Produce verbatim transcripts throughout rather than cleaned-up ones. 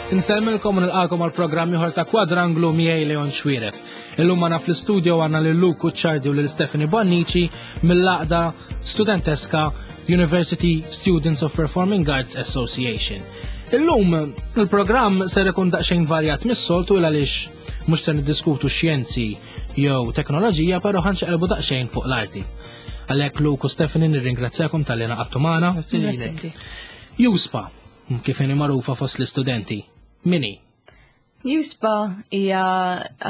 Insellmilkom u nilqagħkom għal programm ieħor ta' Kwadranglu miegħi Leon Xuereb. Illum magħna fl-istudio għandna lil Luke Cucciardi u lil Stephanie Bonnici mill-għaqda studenteska University Students of Performing Arts Association. Illum il-programm ser ikun daqsxejn varjat mis-soltu għaliex mhux se niddiskutu xjenzi jew teknoloġija, però ħa nxaqilbu daqsxejn fuq l-arti. Għalhekk, Luke u Stephanie, nirringrazzjakom talli ngħaqadtu magħna. EUSPA, kif inhi magħrufa fost l-istudenti. Min hi? EUSPA hija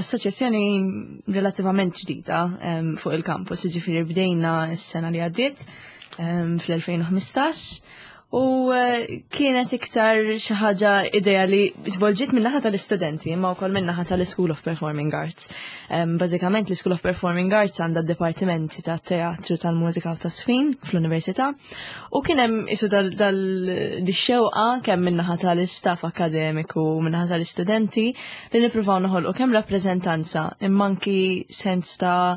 assoċjazzjoni relattivament ġdida um, fuq il-campus, ġifieri bdejna s-sena li għaddiet um, fl-elfejn u ħmistax u eh, kienet iktar xi ħaġa idea li żvolġiet min-naħa tal-istudenti imma wkoll min-naħa tal-School of Performing Arts. Um, Bażikament l-School of Performing Arts għandha dipartimenti ta' teatru, tal-mużika u tas-żfin fl-università u kien hemm isu dal-xewqa kemm min-naħa tal-istaff akademiku u min-naħa tal-istudenti li nippruvaw noħolqu kemm rappreżentanza imma anki sens ta'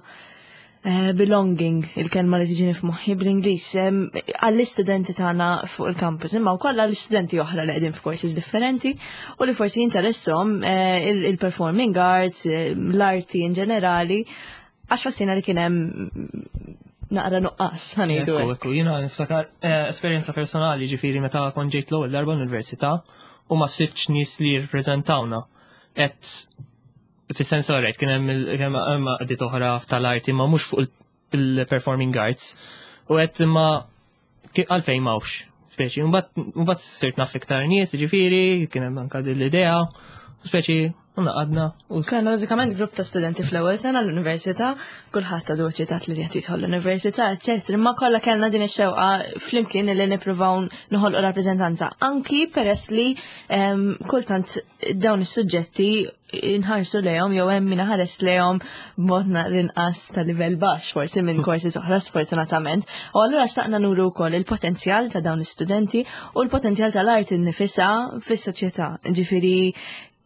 Eh, belonging, il-kelma li tiġini f'moħħi bl-Ingliż, għall-istudenti tagħna fuq il-campus, imma wkoll għall-istudenti oħra li qegħdin f'courses differenti u li forsi jinteressom eh, il-performing arts, eh, l-arti in ġenerali, għax ħassina li kien hemm naqra nuqqas, ħa ngħidu. Ekku, jiena niftakar esperjenza personali, ġifieri meta kont ġejt l-ewwel darba l-università u ma sibtx nies li jirrappreżentawna. Et fis-sens rajt kien hemm għaqdiet oħra tal-arti ma mhux fuq il-performing arts u għedt, "Ma għalfejn m'hawnx?" Speċi, mbagħad sirt naf iktar nies, ġifieri, kien hemm anka l-idea, speċi u ngħaqadna. Kellna bażikament grupp ta' studenti fl-ewwel sena l-università, kulħadd għadu eċitat li qed jidħol l-università, eċċetera. Imma kollha kellna din ix-xewqa flimkien li nippruvaw noħolqu rappreżentanza. Anki peress li kultant dawn is-suġġetti inħarsu lejhom jew hemm min ħares lejhom b'mod inqas ta' livell baxx forsi minn courses oħra, sfortunatament. U allura xtaqna nuru wkoll il-potenzjal ta' dawn l-istudenti u l-potenzjal tal-arti nnifisha fis-soċjetà. Ġifieri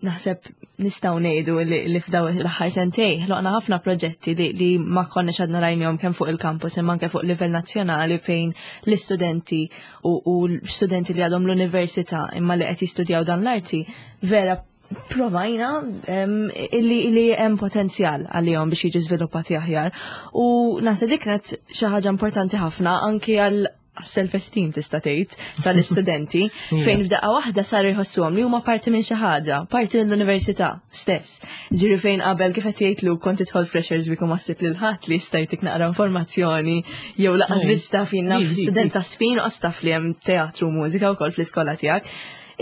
naħseb nistgħu ngħidu li f'daw l-aħħar sentej ħloqna ħafna proġetti li, li ma konniex għadna rajnihom kemm fuq il-campus imma anke fuq livell nazzjonali, fejn l-istudenti u, u l-studenti li għadhom l-università imma li qed jistudjaw dan l-arti vera provajna illi illi hemm potenzjal għalihom biex jiġu żviluppati aħjar. U naħseb dik kienet xi ħaġa importanti ħafna anki għal self-esteem, tista' tgħid, tal-istudenti, fejn f'daqqa waħda saru jħossuhom li huma parti minn xi ħaġa, parti mill-università stess. Ġifieri fejn qabel, kif qed jgħidlu, kont tidħol Freshers Week u ma ssib lil ħadd li jista' jtik naqra informazzjoni jew lanqas biss taf, naf, student ta' żfin u taf li hemm teatru u mużika wkoll fl-iskola tiegħek.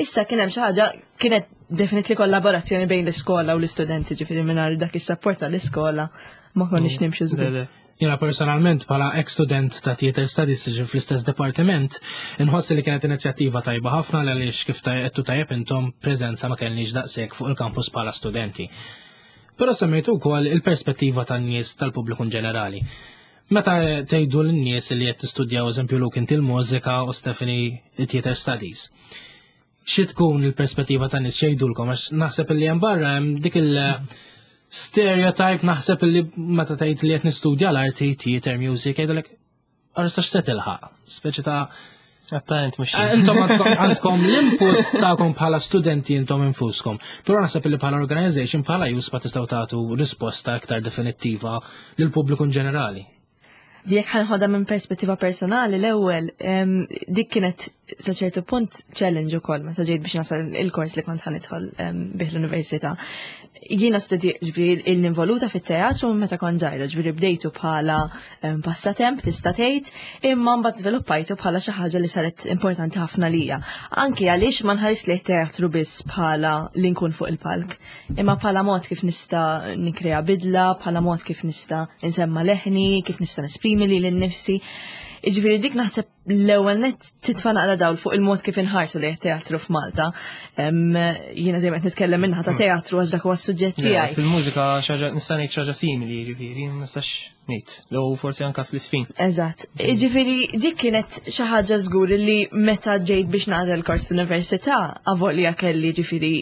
Issa kien hemm xi ħaġa, kienet definitely kollaborazzjoni bejn l-iskola u l-istudenti, ġifieri mingħajr dak is-support tal-iskola ma konniex nimxu żgur. Jiena personalment, bħala ex-student ta' Theater Studies fl-istess departiment, inħoss li kienet inizjattiva tajba ħafna għaliex, kif għedtu tajjeb intom, preżenza ma kellniex daqshekk fuq il-campus bħala studenti. Però semmejtu wkoll il-perspettiva tan-nies, tal-pubbliku ġenerali. Meta tgħidu lin-nies li qed tistudjaw, eżempju Luke inti l-mużika u Stephanie Theater Studies, xi tkun il-perspettiva tan-nies, x'jgħidulkom? Għax naħseb li hemm barra hemm dik il- stereotype, naħseb li meta tgħid li qed nistudja l-arti, theater, music, jgħidulek, "Arsa x'se tilħaq?" Speċi ta' Attent mhux. Eh, intom għandkom l-input tagħkom bħala studenti intom infuskom. Però naħseb li bħala organization, bħala EUSPA, tistgħu tagħtu risposta aktar definittiva lil pubbliku ġenerali. Jekk ħa nħodha minn perspettiva personali l-ewwel, dik kienet sa ċertu punt challenge ukoll meta ġejt biex nasal il-kors li kont ħa nidħol bih l-università. Jiena studi, ġifieri il-involuta fit-teatru meta kont żgħira, ġifieri bdejtu bħala passatemp, tista' tgħid, imma mbagħad żviluppajtu bħala xi ħaġa li saret importanti ħafna lija. Anki għaliex ma nħares li teatru biss bħala li nkun fuq il-palk, imma bħala mod kif nista' nikrea bidla, bħala mod kif nista' insemma leħni, kif nista' nesprimi lili nnifsi. Ġifieri dik naħseb l-ewwel net titfa' naqra dawl fuq il-mod kif inħarsu li teatru f'Malta. Jiena dejjem qed nitkellem min-naħa ta' teatru għax dak huwa s-suġġett tiegħi. Fil-mużika xi ħaġa nista' ngħid xi ħaġa simili, ġifieri, ma nistax ngħid. Jew forsi anke fl-iżfin. Eżatt. Ġifieri dik kienet xi ħaġa żgur li meta ġejt biex nagħżel kors l-università, avolja kelli ġifieri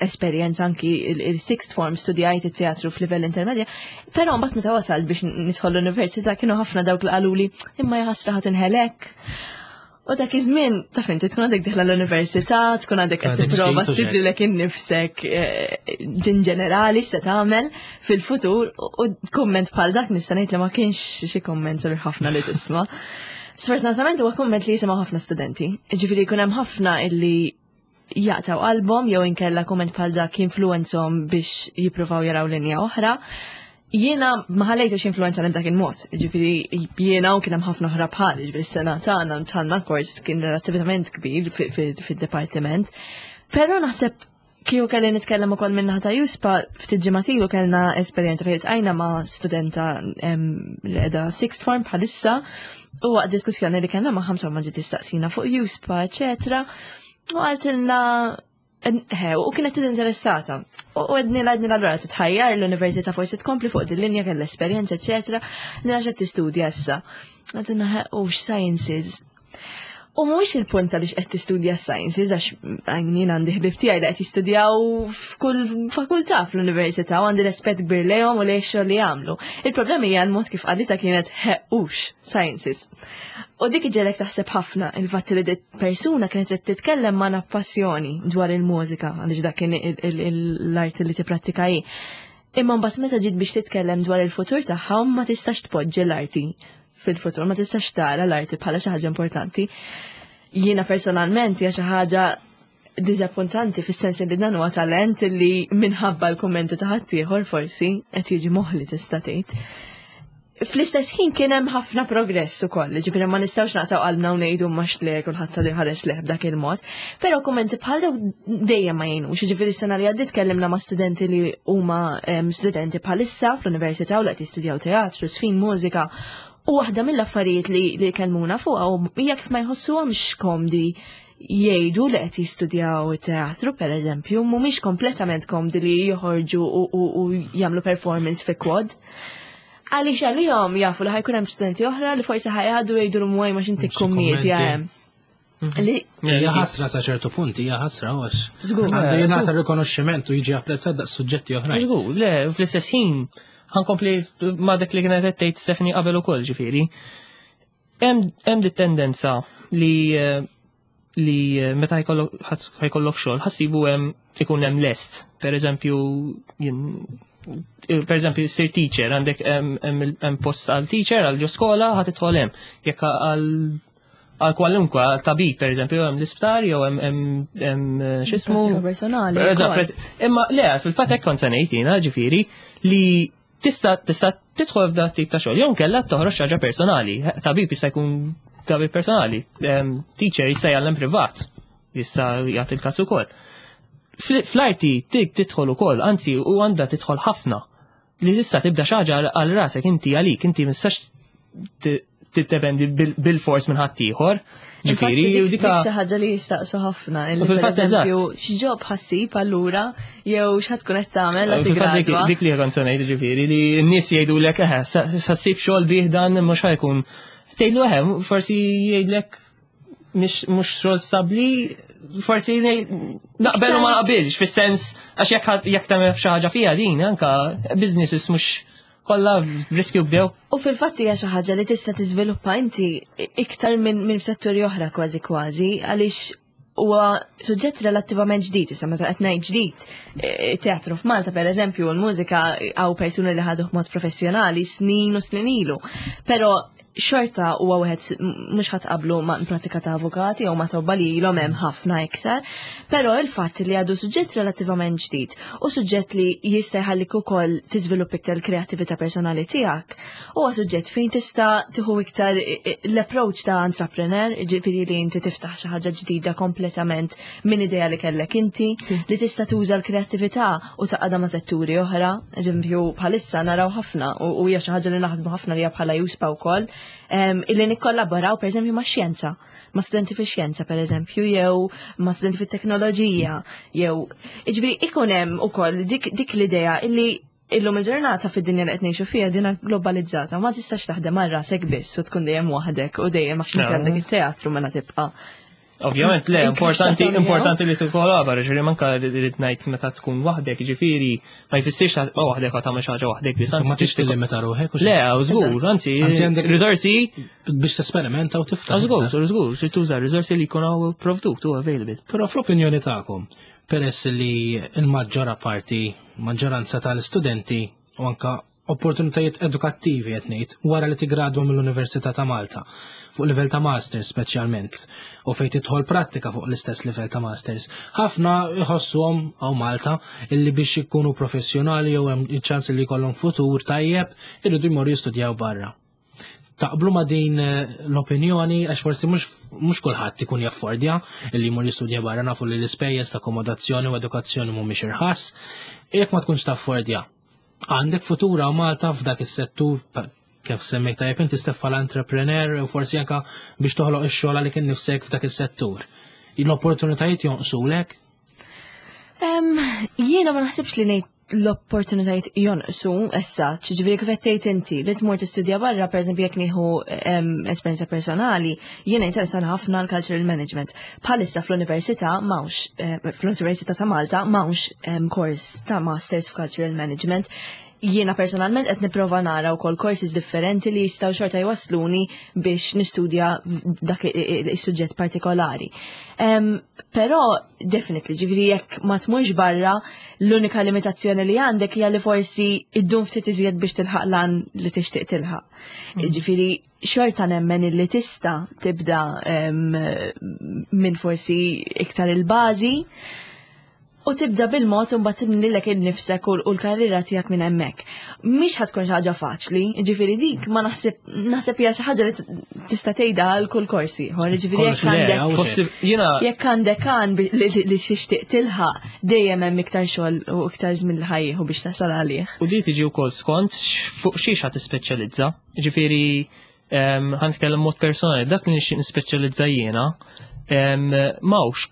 esperjenza anki il-sixth form, studjajt it-teatru f'livell intermedja, però mbagħad meta wasalt biex nidħol l-università kienu ħafna dawk li qaluli, "Imma jaħasra, ħa tinħel hekk." U dak iż-żmien taf inti tkun għadek dieħla l-università, tkun għadek qed Għadek tipprova ġdid u ssib xejn. lilek innifsek eh, in ġenerali x'se tagħmel fil-futur u kumment bħal dak nista' ngħid li ma kienx xi kumment sabiħ ħafna li tisma'. Sfortunatament huwa kumment li jisimgħu ħafna studenti. Ġifieri jkun hemm ħafna illi jaqtaw qalbhom jew inkella kumment bħal dak jinfluwenzhom biex jippruvaw jaraw linja oħra. Jiena ma ħallejtux influenza dak il-mod, ġifieri jiena u kien hemm ħafna oħra bħal, ġifieri s-sena tagħna tagħna kors kien relattivament kbir fid-dipartiment. Però naħseb kieku kelli nitkellem ukoll minn naħa ta' EUSPA, ftit ġimgħat ilu kellna esperjenza fejn iltqajna ma' studenta em, li qiegħda sixth form bħalissa u waqt diskussjoni li kellna ma' ħamsa ma ġiet tistaqsina fuq EUSPA, eċetera. U qaltilna He, u kienet interessata. U għedni għedni l-allura titħajjar l-università forsi tkompli fuq din linja kellha esperjenza, eċetera. Nila xed tistudja issa. Għedna he, u sciences. U mhuwiex il-punt għaliex qed tistudja sciences, għax jien għandi ħbib tiegħi li qed jistudjaw f'kull fakultà fl-università u għandi rispett kbir lejhom u lejn xogħol li jagħmlu. Il-problema hija l-mod kif qalitha kienet hequx sciences. U dik iġegħlek taħseb ħafna il-fatt li dit persuna kienet qed titkellem ma' passjoni dwar il-mużika għaliex dak kien l-art li tipprattika hi. Imma mbagħad meta ġiet biex titkellem dwar il-futur tagħha ma tistax tpoġġi l-arti fil-futur, ma tistax tara l-arti bħala xi ħaġa importanti. Jiena personalment hija xi ħaġa diżappuntanti fis-sens li dan huwa talent li minħabba l-kummenti ta' ħaddieħor forsi qed jiġi moħli tista' tgħid. Fl-istess ħin kien hemm ħafna progress ukoll, ġifieri ma nistgħux naqtaw qalbna u ngħidu mhux le kulħadd għadu jħares leh b'dak il-mod. Però kummenti bħal daw dejjem ma jgħinux, ġifieri s-sena li għaddiet tkellimna ma' studenti li huma em, studenti bħalissa fl-università u li qed jistudjaw teatru, żfin, mużika. U waħda mill-affarijiet li, li kellmuna fuqha u hija kif ma jħossuhomx komdi jgħidu li qed jistudjaw it-teatru per eżempju, mhumiex kompletament komdi li joħorġu u, u, u jagħmlu performance fi quad. Għaliex għalihom jafu li ħa jkun hemm studenti oħra li forsi ħa jgħaddu jgħidu l-mwaj ma xinti Xi kummedja kummenti. hemm. Li Hija ħasra sa ċertu punt, hija ħasra għax. Żgur. Għandu jingħata rikonoxximent u jiġi apprezzat daqs suġġetti oħrajn. Żgur, le, fl-istess ħin ħa nkompli ma dak li kienet qed tgħid Stephanie qabel ukoll ġifieri. Hemm hemm dit tendenza li eh, li eh, meta jkollok ħa jkollok xogħol ħa ssibu hemm ikun hemm lest. Per eżempju, jien per eżempju, sir teacher, għandek hemm hemm hemm post għal teacher għal ġo skola ħa tidħol hemm. Jekk għal għal kwalunkwe, għal tabib, per eżempju, hemm l-isptar jew hemm hemm hemm eh, x'ismu Pratika personali Per eżempju, wkoll. Imma le, fil-fatt hekk kont se ngħid jiena, ġifieri, li tista' tista' tidħol f'dan tip ta' xogħol jew inkella toħroġ xi ħaġa personali. Tabib jista' jkun tabib personali, em, teacher jista' jgħallem privat, jista' jagħti l-każ ukoll. Fl- Fl-arti tik tidħol ukoll, anzi u għandha tidħol ħafna. Li tista' tibda xi ħaġa għal rasek inti għalik, inti ma tistax tiddependi bil-fors minn ħaddieħor. Ġifieri, Infatti u dik dika dik xi ħaġa li jistaqsu ħafna. Illi U fil-fatt per eżempju, eżatt. x'job ħa ssib allura jew x'ħa tkun qed tagħmel la Fil-fatt dik- tigradwa. Dik li kont se ngħid ġifieri li n-nies jgħidulek eħe, sa ssib xogħol bih dan mhux ħa jkun. Tgħidlu eħe, forsi jgħidlek mhux mhux xogħol stabbli, forsi ngħid- naqbel u ma naqbilx, fis-sens għax jekk jekk tagħmel xi ħaġa fiha din anka businesses mhux kollha riskju bdew. U fil-fatt hija xi ħaġa li tista' tiżviluppa inti iktar minn minn setturi oħra kważi kważi għaliex huwa suġġett relattivament ġdid, issa meta qed ngħid ġdid, eh, teatru f'Malta per eżempju, u l-mużika hawn persuni li ħaduh mod professjonali snin u snin ilu. Però xorta huwa wieħed mhux ħadd qablu ma' pratika ta' avukati jew ma' tobba li ilhom hemm ħafna iktar, però il-fatt li għadu suġġett relattivament ġdid u suġġett li jista' jħallik ukoll tiżvilupp iktar l-kreattività personali tiegħek, huwa suġġett fejn tista' tieħu iktar i- i- l-approach ta' entrepreneur, ġifieri li inti tiftaħ xi ħaġa ġdida kompletament minn idea li kellek inti, li tista' tuża l-kreattività u tgħaqqadha ma' setturi oħra, eżempju bħalissa naraw ħafna u u hija xi ħaġa li naħdmu ħafna li hija bħala EUSPA wkoll, em, illi nikkollaboraw per eżempju ma' xjenza, ma' studenti fi xjenza per eżempju, jew ma' studenti fit teknoloġija, jew ġifieri ikun hemm ukoll dik, dik l-idea illi illum il-ġurnata fid-dinja li qed ngħixu fiha dina globalizzata, ma tistax taħdem għal rasek biss u tkun dejjem waħdek u dejjem għax inti No. għandek it-teatru mela tibqa' Ovvjament le, importanti importanti li tikkollabora, ġifieri manka rrid ngħid meta tkun waħdek, ġifieri ma jfissirx ta' waħdek għad tagħmel xi ħaġa waħdek biss. Ma tix tillimita ruħek u Le, żgur, anzi, għandek riżorsi biex tesperimenta u tiftaħ. Żgur, żgur, trid tuża riżorsi li jkunu provdut u available. Però fl-opinjoni tagħkom, peress li l-maġġora parti, maġġoranza tal-istudenti u anka opportunitajiet edukattivi qed ngħid wara li tigradwa mill-Università ta' Malta fuq livell ta' masters speċjalment u fejn tidħol prattika fuq l-istess livell ta' masters. Ħafna jħossuhom hawn Malta illi biex ikunu professjonali jew hemm ċans li jkollhom futur tajjeb irridu jmorru jistudjaw barra. Taqblu ma din eh, l-opinjoni għax forsi mhux kulħadd ikun jaffordja illi jmur jistudja barra nafu li l-ispejjeż ta' akkomodazzjoni u edukazzjoni mhumiex irħas. Jekk ma tkunx taffordja, għandek futura u Malta f'dak is-settur kif semmejt tajjeb inti stef bħala entrepreneur u forsi anka biex toħloq ix-xogħol għalik innifsek f'dak is-settur. L-opportunitajiet jonqsulek? Jiena ma naħsibx li ngħid l-opportunitajiet jonqsu issa, ġifieri kif qed tgħid inti li tmur tistudja barra, pereżempju jekk nieħu esperjenza personali, jiena interessan ħafna l-cultural management. Bħalissa fl-università m'hawnx, eh, fl-Università ta' Malta m'hawnx kors ta' masters f'cultural management. Jiena personalment qed nipprova nara wkoll courses differenti li jistgħu xorta jwasluni biex nistudja dak is-suġġett partikolari. Um, però definitely, ġifieri jekk ma tmurx barra, l-unika limitazzjoni li għandek hija li forsi iddum ftit iżjed biex tilħaq lan li tixtieq tilħaq. Mm. Ġifieri xorta nemmen illi tista' tibda um, minn forsi iktar il-bażi u tibda bil-mod u mbagħad tibni lilek innifsek u l-karriera tiegħek minn hemmhekk. Mhix ħa tkun xi ħaġa faċli, ġifieri dik ma naħseb naħseb hija xi ħaġa li tista' tgħidha għal kull korsi. Ġifieri jekk għandek jekk għandek għan li tixtieq tilħaq dejjem hemm iktar xogħol u iktar żmien li ħajjieħu biex tasal għalih. U di tiġi wkoll skont fuq xiex ħa tispeċjalizza. Ġifieri ħa nitkellem mod personali, dak li nixtieq nispeċjalizza jiena m'hawnx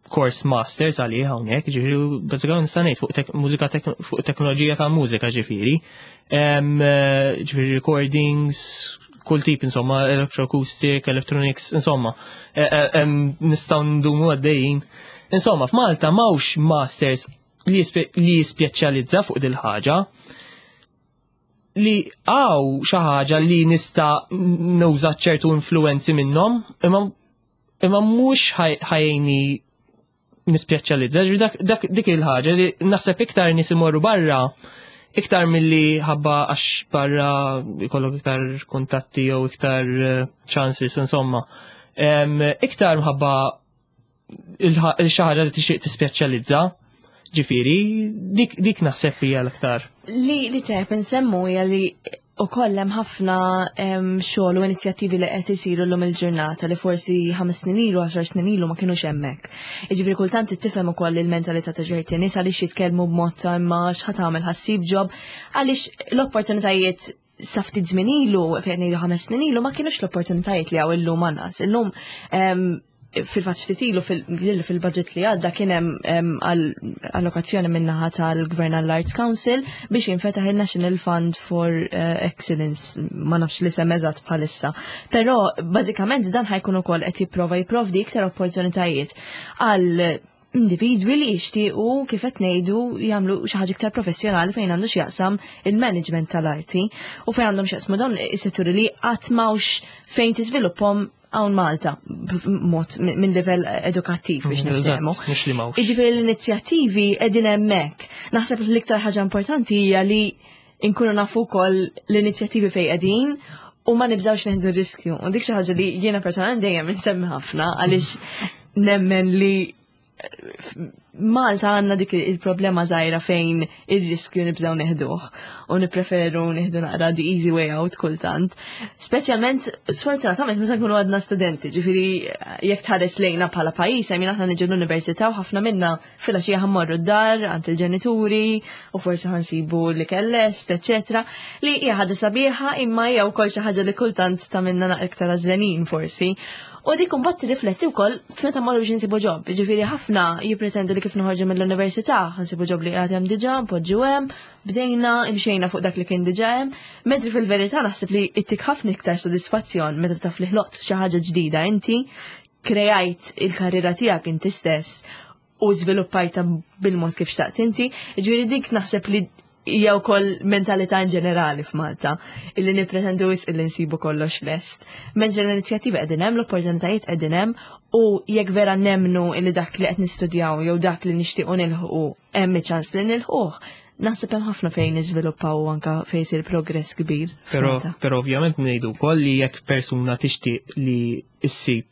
course masters għalih hawnhekk, ġifieri bażikament nista' ngħid fuq mużika fuq teknoloġija ta' mużika ġifieri. Ġifieri recordings, kull tip insomma, electroacoustic, electronics, insomma, e, e, nistgħu ndumu għaddejjin. Insomma, f'Malta m'hawnx masters li jispeċjalizza fuq dil ħaġa li hawn xi ħaġa li nista' nuża ċertu influenzi minnhom, imma imma mhux ħa jgħinni nispeċjalizza. Dak, dak dik il-ħaġa li naħseb iktar nies imorru barra iktar milli ħabba għax barra jkollok iktar kuntatti jew iktar eh, chances insomma. Iktar mħabba il-xi ħaġa li tixtieq tispeċjalizza. Ġifieri, dik, dik naħseb hija l-aktar. Li li tajjeb insemmu hija li ukoll hemm ħafna xogħol u inizjattivi li qed isiru llum il-ġurnata li forsi ħames snin ilu, għaxar snin ilu ma kinux hemmhekk. Jiġifieri kultant tifhem ukoll il-mentalità ta' ċerti nies għaliex jitkellmu b'mod ta' imma x'ħa tagħmel ħa ssib job għaliex l-opportunitajiet sa ftit żmien ilu, fejn ngħidu ħames snin ilu, ma kienux l-opportunitajiet li hawn illum għan-nies. Illum fil-fatt ftit ilu fil-budget li għadda kien hemm allokazzjoni min-naħa tal-Gvern Arts Council biex jinfetaħ il-National Fund for eh, Excellence, ma nafx li sem eżatt bħalissa. Però bażikament dan ħa jkun ukoll qed jipprova jipprovdi iktar opportunitajiet għal individwi li jixtiequ kif qed ngħidu jagħmlu xi ħaġa iktar professjonali fejn għandu x'jaqsam il-management tal-arti u fejn għandhom x'jaqsmu dawn is-setturi li qatt m'hawnx fejn tiżviluppahom hawn Malta mod minn livell edukattiv biex niftehmu. Jiġifieri l-inizjattivi qegħdin hemmhekk. Naħseb li l-iktar ħaġa importanti hija li nkunu nafu wkoll l-inizjattivi fejn qegħdin u ma nibżawx neħdu riskju. U dik xi ħaġa li jiena personalment dejjem insemmi ħafna għaliex nemmen li Malta għandna dik il-problema żgħira fejn il-riskju nibżaw neħduh u nipreferu neħdu naqra the easy way out kultant. Speċjalment, sfortunatament, meta nkunu għadna studenti, ġifieri jekk tħares lejna bħala pajjiż, għajmin aħna niġu l-università u ħafna minna filgħaxija ħa mmorru d-dar għand il-ġenituri u forsi ħa nsibu l-ikel lest, eccetera. Li hija ħaġa sabiħa imma hija wkoll xi ħaġa li kultant tagħmilna naqra iktar għażlenin forsi. U dik imbagħad tirrifletti wkoll f'meta mmorru biex insibu job. Ġifieri ħafna jippretendu li kif noħorġu mill-università, nsibu job li qiegħed hemm diġà, npoġġu hemm, bdejna, imxejna fuq dak li kien diġà hemm, mentri fil-verità naħseb li ittik ħafna iktar sodisfazzjon meta taf li ħloqt xi ħaġa ġdida inti, kreajt il-karriera tiegħek inti stess u żviluppajta bil-mod kif xtaqt inti. Ġifieri dik naħseb li hija wkoll mentalità in ġenerali f'Malta, illi nippretendu wisq illi nsibu kollox lest. Mentre l-inizjattiva qegħdin hemm, l-opportunitajiet qegħdin hemm, u jekk vera nemnu illi dak li qed nistudjaw jew dak li nixtiequ nilħqu hemm ċans li nilħquh, naħseb hemm ħafna fejn niżviluppaw u anka fejn isir progress kbir Pero, f'Malta. Pero ovvjament ngħidu wkoll li jekk persuna tixtieq li issib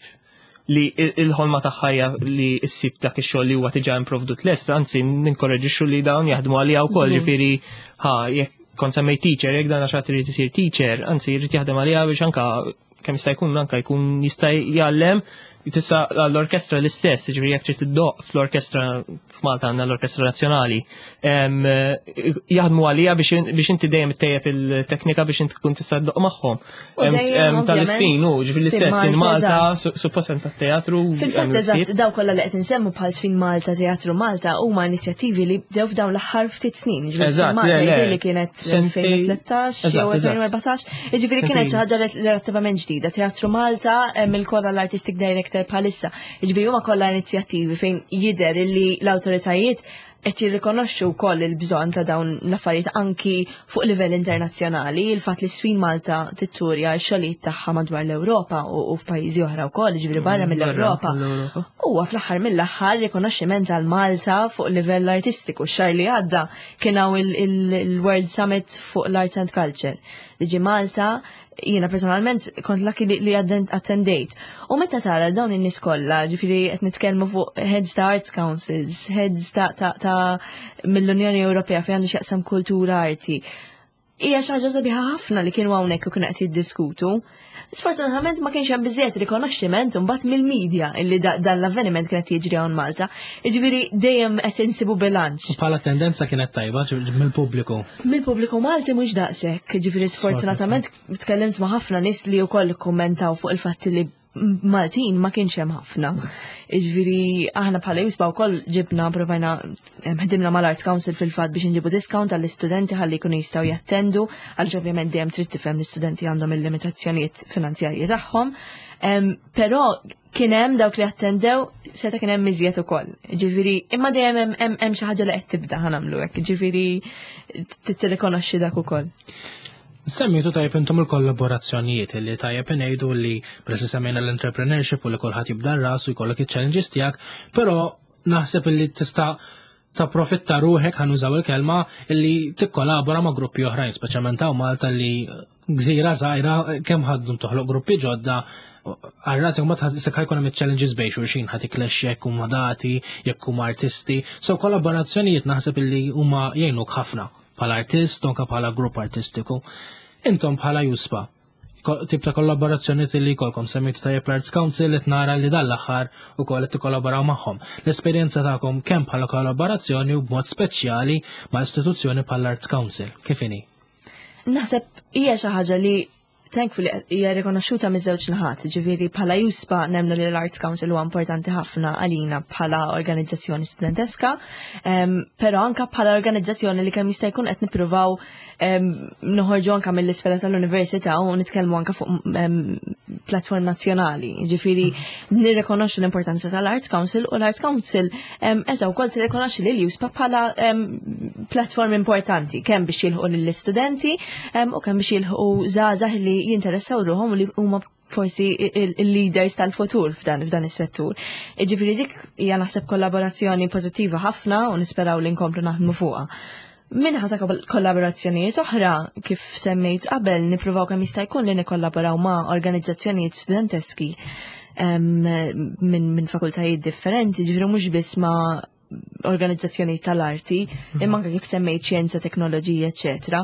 li il- il-ħolma tagħha hija li issib dak ix-xogħol li huwa diġà improvdut lest, anzi ninkoraġixxu li dawn jaħdmu għalija wkoll, Żgur. ġifieri ħa jekk kont semmej teacher, jekk dan għax irid isir teacher, anzi jrid jaħdem għalija biex anka kemm jista' jkun anka jkun jista' jgħallem. Tista' l-orkestra l-istess, ġifieri jekk trid iddoqq fl-orkestra, f'Malta għandna l-Orkestra Nazzjonali, em, jaħdmu għalija biex biex inti dejjem ittejjeb il-teknika biex inti tkun tista' ddoqq magħhom. U Em, dejjem, em, tal-isfin, ovvjament, u ġifieri Sfin l-istess in Malta, Malta, eżatt. su- suppost hemm tat-teatru. Fil-fatt hemm eżatt, il-ħsieb. daw kollha li qed insemmu bħal Sfin Malta, Teatru Malta, huma inizjattivi li bdew f'dawn l-aħħar ftit snin. Ġifieri Sfin Eżatt, Malta le, le. jidher li kienet Sentej- elfejn u tlettax jew Eżatt, eżatt. elfejn u erbatax. Jiġifieri kienet xi Sentejn. ħaġa relattivament ġdida. Teatru Malta hemm il-kolla l-artistic director bħalissa. Jiġifieri huma kollha inizjattivi fejn jidher li l-awtoritajiet qed jirrikonoxxu wkoll il-bżonn ta' dawn l-affarijiet anki fuq livell internazzjonali, il-fatt li Sfin Malta titturja x-xogħlijiet tagħha madwar l-Ewropa u u f'pajjiżi oħra wkoll, jiġifieri barra mill-Ewropa. Mill-Ewropa. Huwa fl-aħħar mill-aħħar rikonoxximent għal Malta fuq livell artistiku. Xahar li għadda kien hawn il- il- il-World Summit fuq l-Arts and Culture li ġi Malta, jiena personalment kont lucky li, li atten- attendejt. U meta tara dawn in-nies kollha, ġifieri qed nitkellmu fuq heads ta' arts councils, heads ta', ta, ta' mill-Unjoni Ewropea fejn għandu x'jaqsam kultura, arti, hija xi ħaġa sabiħa ħafna li kienu hawnhekk u kienu qed jiddiskutu. Sfortunatament ma kienx hemm biżejjed rikonoxximent imbagħad mill-medja illi da- dan l-avveniment kien qed jiġri hawn Malta. Jiġifieri dejjem qed insibu bilanċ. U bħala tendenza kienet tajba ġi- mill-pubbliku? Mill-pubbliku Malti mhux daqshekk, ġifieri sfortunatament tkellimt ma' ħafna nies li wkoll ikkummentaw fuq il-fatt li Maltin ma kienx hemm ħafna. Ġifieri aħna bħala EUSPA wkoll ġibna provajna em, ħdimna mal-Arts Council fil-fatt biex nġibu discount għall-istudenti ħalli jkunu jistgħu jattendu, għaliex ovvjament dejjem trid tifhem l-istudenti għandhom il-limitazzjonijiet finanzjarji tagħhom. Em, Però kien hemm dawk li attendew, seta' kien hemm iżjed ukoll. Ġifieri imma dejjem hemm- hemm hemm xi ħaġa li qed tibda, ħa nagħmlu hekk. Ġifieri tirrikonoxxi dak ukoll. Semmejtu tajjeb intom il-kollaborazzjonijiet, li tajjeb ngħidu li presi semmejna l-entrepreneurship u li kulħadd jibda rasu jkollok iċ-challenges tiegħek, però naħseb li tista' tapprofitta ruħek, ħa nużaw il-kelma, illi tikkollabora ma' gruppi oħrajn, speċjalment hawn Malta li gżira żgħira, kemm ħaddu toħloq gruppi ġodda għal ma tħassek ħajkun hemm challenges bejn xulxin, ħa tikklexxja jekk huma dati, jekk huma artisti. So kollaborazzjonijiet naħseb illi huma jgħinuk ħafna bħala artist, anke bħala grupp artistiku. Intom bħala EUSPA, ko- tip ta' kollaborazzjoni li jkollkom, semmejtu tajjeb l-Arts Council, qed nara li dan l-aħħar ukoll qed tikkollaboraw magħhom. L-esperjenza tagħkom kemm bħala kollaborazzjoni u b'mod speċjali ma' istituzzjoni bħala Arts Council, kif inhi? Naħseb hija xi ħaġa li thankfully hija rikonoxxuta miż-żewġ naħat, ġifieri bħala EUSPA nemmnu li l-Arts Council huwa importanti ħafna għalina bħala organizzazzjoni studenteska, um, però anka bħala organizzazzjoni li kemm jista' jkun qed nippruvaw um, noħorġu anka mill-isfera tal-università u nitkellmu anka fuq um, platform nazzjonali. Ġifieri nirrikonoxxu l-importanza tal-Arts Council u l-Arts Council um, qed wkoll tirrikonoxxi lil EUSPA bħala um, platform importanti kemm biex jilħqu lill-istudenti um, u kemm biex jilħqu żgħażagħ li jinteressaw ruħhom u li huma forsi il-leaders tal-futur f'dan f'dan is-settur. Ġifieri dik hija naħseb kollaborazzjoni pożittiva ħafna u nisperaw li nkomplu naħdmu fuqha. Minħa ta' kollaborazzjonijiet oħra, kif semmejt qabel, nippruvaw kemm jista' jkun li nikkollaboraw ma' organizzazzjonijiet studenteski em, minn min fakultajiet differenti, ġifieri mhux biss ma' organizzazzjoni tal-arti, imma anke kif semmejt xjenza, teknoloġija, eċetera.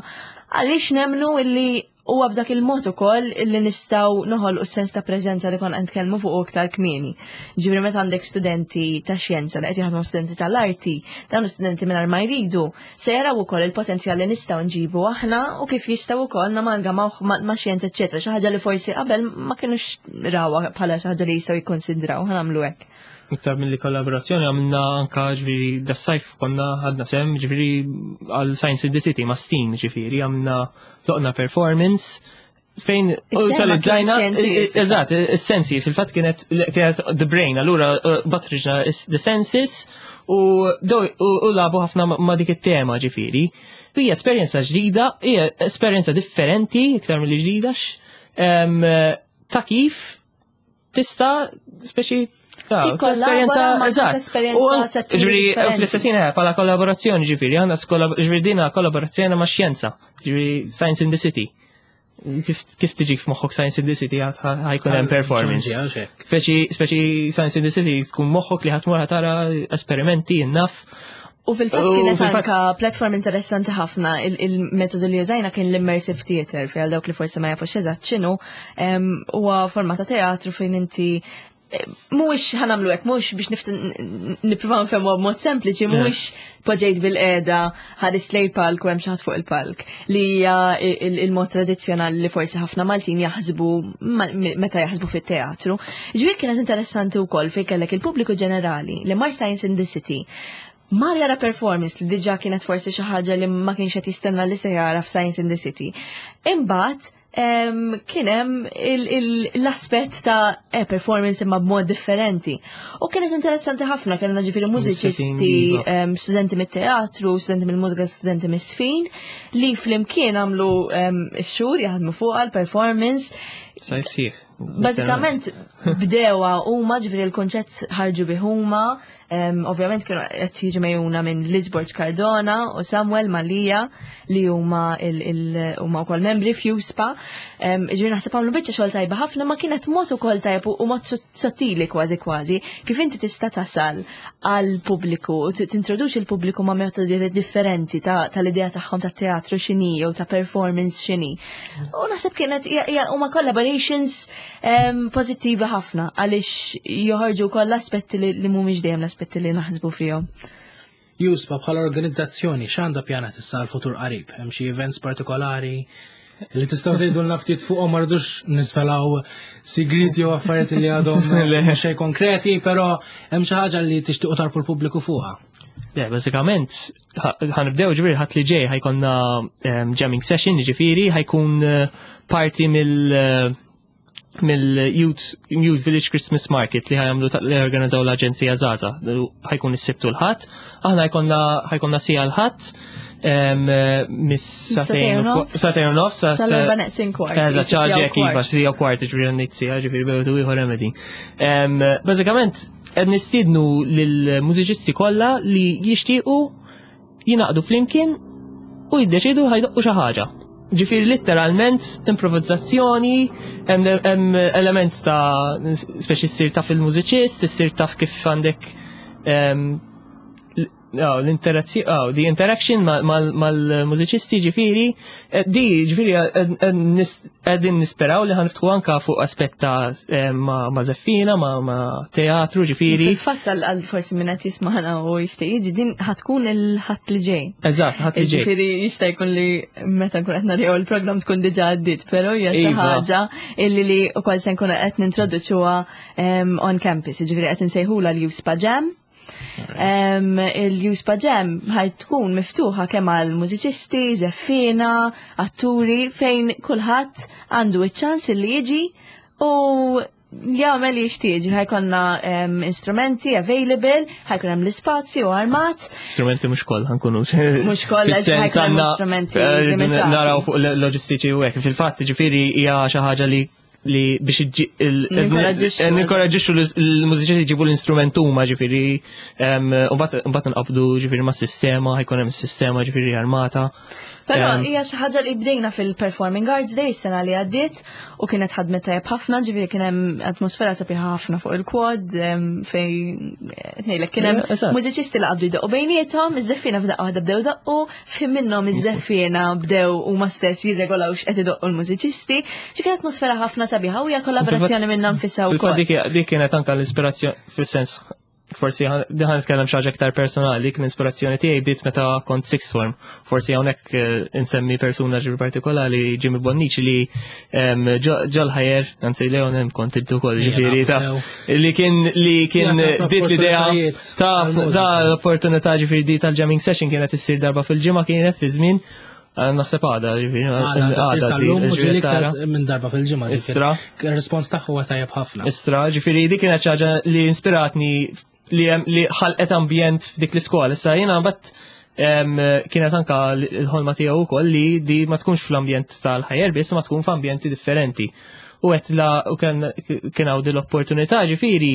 Għaliex nemnu illi huwa b'dak il-mod ukoll illi nistgħu noħolqu sens ta' preżenza li konna nitkellmu fuq iktar kmieni. Ġifieri meta għandek studenti ta' xjenza li qed jaħdmu studenti tal-arti, dawn studenti mingħajr ma jridu se jaraw ukoll il-potenzjal li nistgħu nġibu aħna u kif jistgħu wkoll namalgamaw ma' ma' xjenza, eċetera, xi ħaġa li forsi qabel ma kinux rawha bħala xi ħaġa li jistgħu jikkonsidraw, ħa nagħmlu hekk. Iktar mill-li kollaborazzjoni għamilna anka, ġifieri das-sajf konna ħadna sehem ġifieri għal Science in the City ma' STEAM, ġifieri għamilna doqna performance. Fejn utilizzajna, eżatt, is-sensi, fil-fatt kienet kienet the brain, allura batriġna the senses u u lagħbu ħafna ma' dik it-tema ġifieri. Hija esperjenza ġdida, hija esperjenza differenti, iktar mill ġdida, ta' kif tista' speċi esperjenza, eżatt. Esperjenza. Ġifieri, fl-istess ħin bħala kollaborazzjoni ġifieri, għandna ġifieri dina kollaborazzjoni ma' xjenza, ġifieri Science in the City. Kif tiġik f'moħħok Science in the City ħa jkun hemm performance? Speċi speċi Science in the City tkun moħħok li ħa tmur tara esperimenti naf. U fil-fatt kienet anka platform interessanti ħafna. Il-metodu li użajna kien l-immersive theater, fi għal dawk li forsi ma jafux eżatt x'inhu, huwa forma ta' teatru fejn inti mhuwiex ħa nagħmlu hekk, mhuwiex biex nippruvaw nfehmu b'mod sempliċi, mhuwiex poġġejt bilqiegħda, ħares lejn palk u hemm xi ħadd fuq il-palk. Li hija il-mod tradizzjonali li forsi ħafna Maltin jaħsbu meta jaħsbu fit-teatru. Ġifieri kienet interessanti wkoll fejn kellek il-pubbliku ġenerali li mar Science in the City, mar jara performance li diġà kienet forsi xi ħaġa li ma kienx qed jistenna li se jara f'Science in the City. Imbagħad kien hemm l-aspett ta' eh, performance imma b'mod differenti. U kienet interessanti ħafna, kellna ġifieri mużiċisti, studenti mit-teatru, studenti mill-mużika, studenti mis-sfin, li flimkien għamlu x-xhur jaħdmu fuq għal-performance. Sajf sħiħ. Bażikament bdewa huma, ġifieri l-konċett ħarġu bih huma, ovvjament kienu qed jiġu megħjuna minn Liz Borg Cardona u Samuel Malija li huma huma wkoll membri f'JUSPA. Ġifieri naħseb għamlu biċċa xogħol tajba ħafna, ma kienet mod ukoll tajb u mod sottili kważi kważi kif inti tista' tasal għal pubbliku u tintroduċi l-pubbliku ma' metodi differenti tal-idea tagħhom ta' teatru x'inhi jew ta' performance x'inhi. U naħseb kienet huma collaborations pożittivi ħafna għaliex joħorġu wkoll l-aspetti li mhumiex dejjem l-aspetti li naħsbu fihom. JUSPA bħala organizzazzjoni x'għandha pjanat issa l-futur qarib? Hemm xi events partikolari li tistgħu tgħidulna ftit fuqhom? Ma rridux nisvelaw sigriti u affarijiet li għadhom xejn konkreti, però hemm xi ħaġa li tixtiequ tarfu l-pubbliku fuqha? Yeah, bażikament, ħa nibdew ġifieri Ħadd li ġej ħa jkollna jamming session, ġifieri ħa jkun eh, parti mill eh, mill-Youth Youth Village Christmas Market li ħa jagħmlu li organizzaw l-Aġenzija Żgħażagħ. Ħa jkun is-Sibt u l-Ħadd. Aħna ħa jkollna ħa jkollna siegħa l-Ħadd mis-sagħtejn u nofs. Sal-erba' neqsin kwart. Eżatt, ċaġi iva, siegħa kwart, ġifieri għandit siegħa, ġifieri bejn ieħor remedy. Bażikament, qed nistiednu lill-mużiċisti kollha li jixtiequ jingħaqdu flimkien u jiddeċidu ħa jdoqqu xi ħaġa. Ġifieri literalment improvizzazzjoni, hemm element ta' speċi ssir taf il-mużiċist, issir taf kif għandek l-interazzjoni, oh, the interaction mal-mużiċisti ġifieri, eh, di ġifieri qegħdin nisperaw li ħa niftħu anka fuq aspett ta' eh, ma' żeffiena, ma' teatru ġifieri. Fil-fatt għal forsi minn qed jismagħna u jixtieq jiġi, din ħa tkun il-Ħadd li ġej. Eżatt, Ħadd li ġej. Ġifieri jista' jkun li meta nkun qed naraw il-programm tkun diġà għaddiet, però hija xi Iva. ħaġa illi li wkoll se nkunu qed nintroduċuha on campus, ġifieri qed insejħula l-JUSPA Jam. Em, Il-JUSPA Jam ħa tkun miftuħa kemm għal mużiċisti, żeffiena, atturi, fejn kulħadd għandu iċ-ċans li jiġi u jagħmel li jixtieq. Ħa jkollna em, instrumenti available, ħa jkun hemm l-ispazju armat. Strumenti mhux kollha ħa nkunu. Mhux kollha, Fis-sens ħa jkun hemm għandna, strumenti eh, rridu limitati. Naraw fuq loġistiċi u hekk. Fil-fatt ġifieri hija xi ħaġa li li biex iġġi- il- Ninkoraġġixxu, eh, ninkoraġġixxu l-mużiċisti jġibu l-instrument huma ġifieri em, u mbagħad mbagħad nqabdu ġifieri ma' sistema, ħa jkun hemm sistema ġifieri armata. Però Em, hija xi ħaġa li bdejna fil-Performing Arts Day sena li għaddiet u kienet ħadmet tajjeb ħafna, ġifieri kien hemm atmosfera sabiħa ħafna fuq il-quad em, fejn ngħidlek kien hemm Yeah, eżatt. mużiċisti li qabdu jdoqqu bejniethom, iż-żeffiena f'daqqa waħda bdew daqqu, fim minnhom iż-żeffiena bdew huma stess jirregolaw x'qed idoqqu l-mużiċisti. Ġi kienet atmosfera ħafna sabiħa u hija kollaborazzjoni minnha nfisha Fil-fatt wkoll. dik dik kienet anka l-ispirazzjoni fis-sens forsi ħa ħa nitkellem xi ħaġa aktar personali, dik l-ispirazzjoni tiegħi bdiet meta kont sixth form. Forsi hawnhekk eh, insemmi persuna ġifieri partikolari, Jimmy Bonnici, li em, ġo- ġol ħajer, anzi Leon hemm kont intu ukoll ġifieri ta' li kien li kien Ja, taf dit l-idea opportunitajiet ta' għall-mużika. ta' l-opportunità ġifieri di tal-jamming session kienet issir darba fil-ġimgħa kienet fi żmien. Naħseb għada, ġifieri. Għada, sal-lum u ġieli iktar minn darba fil-ġimgħa. Istra. Il-respons tagħha huwa tajjeb ħafna. Istra, ġifieri dik kienet xi ħaġa li inspiratni li hemm- li ħalqet ambjent f'dik l-iskola. Issa jiena mbagħad em, kienet anka l-ħolma tiegħu wkoll li di ma tkunx fl-ambjent tal-Higher biss, ma tkun f'ambjenti differenti. U għet la u kien kien hawn din l-opportunità, ġifieri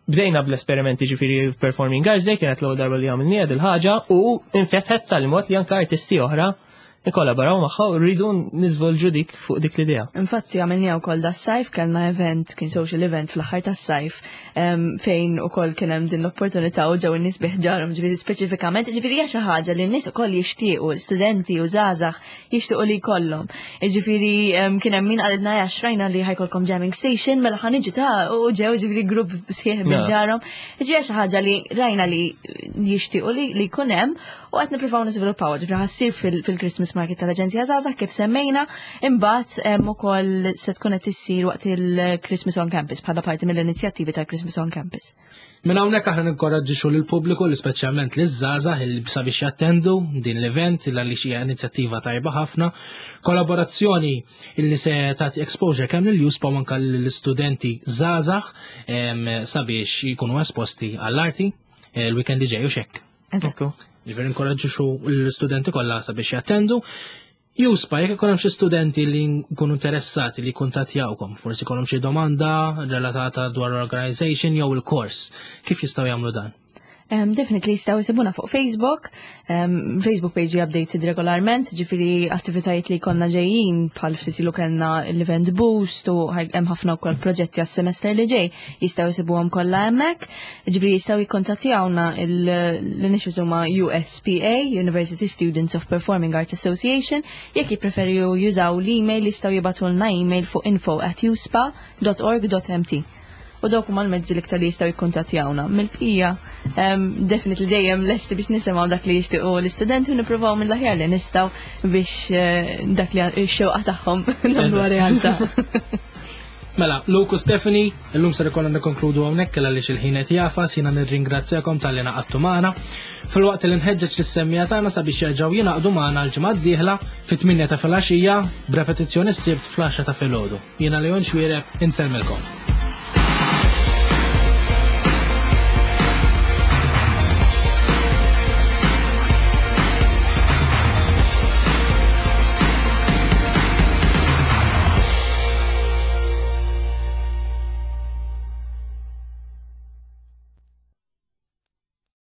bdejna bl-esperimenti, ġifieri Performing Arts Day kienet l-ewwel darba li għamilniha dil-ħaġa u infetħet tal-mod li anka artisti oħra nikkollaboraw magħha u rridu niżvolġu dik fuq dik l-idea. Infatti għamilniha wkoll das-sajf, kellna event, kien social event fl-aħħar tas-sajf, em, fejn ukoll kien hemm din l-opportunità u ġew in-nies bi ħġarhom, ġifieri speċifikament, ġifieri hija xi ħaġa li n-nies ukoll jixtiequ, studenti u żgħażagħ jixtiequ li jkollhom. Ġifieri em, kien hemm min qalilna ja xrajna li ħa jkollkom jamming station, mela ħa niġu ta' u ġew ġifieri grupp sħiħ Na. bi ħġarhom. Ġifieri xi ħaġa li rajna li jixtiequ li li jkun hemm u qed nippruvaw niżviluppaw, ġifieri ħa ssir fil- fil-Christmas Market tal-Aġenzija Żgħażagħ kif semmejna, imbagħad hemm ukoll se tkun qed issir waqt il-Christmas on Campus bħala parti mill-inizjattivi tal-Christmas on Campus. Minn hawnhekk aħna ninkoraġġixxu lill-pubbliku li speċjalment liż-żgħażagħ il sabiex jattendu din l-event illa li xi inizjattiva tajba ħafna. Kollaborazzjoni illi se tagħti exposure kemm lil U S P A u anke lill-istudenti żgħażagħ em, sabiex jkunu esposti għall-arti eh, il-weekend li ġej u xek. Eżatt. Ġifieri inkoraġġixxu l-istudenti kollha sabiex jattendu. U S P A, jekk ikun hemm xi studenti li jkunu interessati li jkuntattjawkom, forsi jkollhom xi domanda relatata dwar l-organization jew il-kors, kif jistgħu jagħmlu dan? Um, definitely jistgħu jsibuna fuq Facebook, um, Facebook page updated regolarment, ġifieri attivitajiet li konna ġejjin bħal ftit ilu kellna l-event boost u ħaj- hemm ħafna wkoll proġetti għas-semester li ġej, jistgħu jsibuhom kollha hemmhekk. Ġifieri jistgħu jikkontattjawna l-initials huma U S P A, University Students of Performing Arts Association, jekk jippreferu jużaw l-email jistgħu jibagħtulna email fuq info at uspa dot org dot M T. U dawk huma l-mezzi l-iktar li jistgħu jikkuntattjawna. Mill-bqija, um, definitely dejjem lesti biex nisimgħu dak li jixtiequ l-istudenti u nippruvaw mill-aħjar li nistgħu biex eh, dak li x-xewqa tagħhom nagħmluha realtà. Mela, Luke u Stephanie, illum ser ikollna nikkonkludu hawnhekk għaliex il-ħin qed jagħfas, jiena nirringrazzjakom talli ngħaqadtu magħna. Filwaqt li nħeġġeġ lis-semmiegħa tagħna sabiex jerġgħu jingħaqdu magħna l-ġimgħa d-dieħla fit-tmienja ta' filgħaxija b'repetizzjoni s-Sibt fl-għaxra ta' filgħodu. Jiena Leon Xwiereb, insellmilkom.